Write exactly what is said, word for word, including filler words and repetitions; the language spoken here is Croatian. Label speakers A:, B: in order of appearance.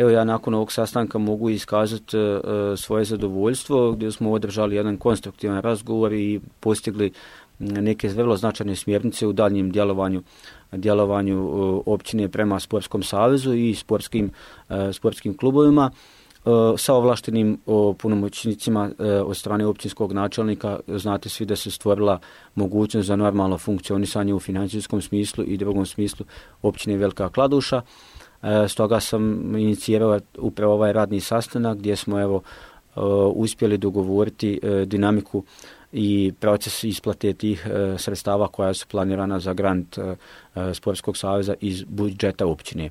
A: Evo ja nakon ovog sastanka mogu iskazati svoje zadovoljstvo gdje smo održali jedan konstruktivan razgovor i postigli neke vrlo značajne smjernice u daljnjem djelovanju djelovanju općine prema Sportskom savezu i sportskim, sportskim klubovima. Sa ovlaštenim punomoćnicima od strane općinskog načelnika. Znate svi da se stvorila mogućnost za normalno funkcionisanje u financijskom smislu i drugom smislu općine Velika Kladuša. Stoga sam inicirao upravo ovaj radni sastanak gdje smo evo uspjeli dogovoriti dinamiku i proces isplate tih sredstava koja su planirana za grant Sportskog saveza iz budžeta općine.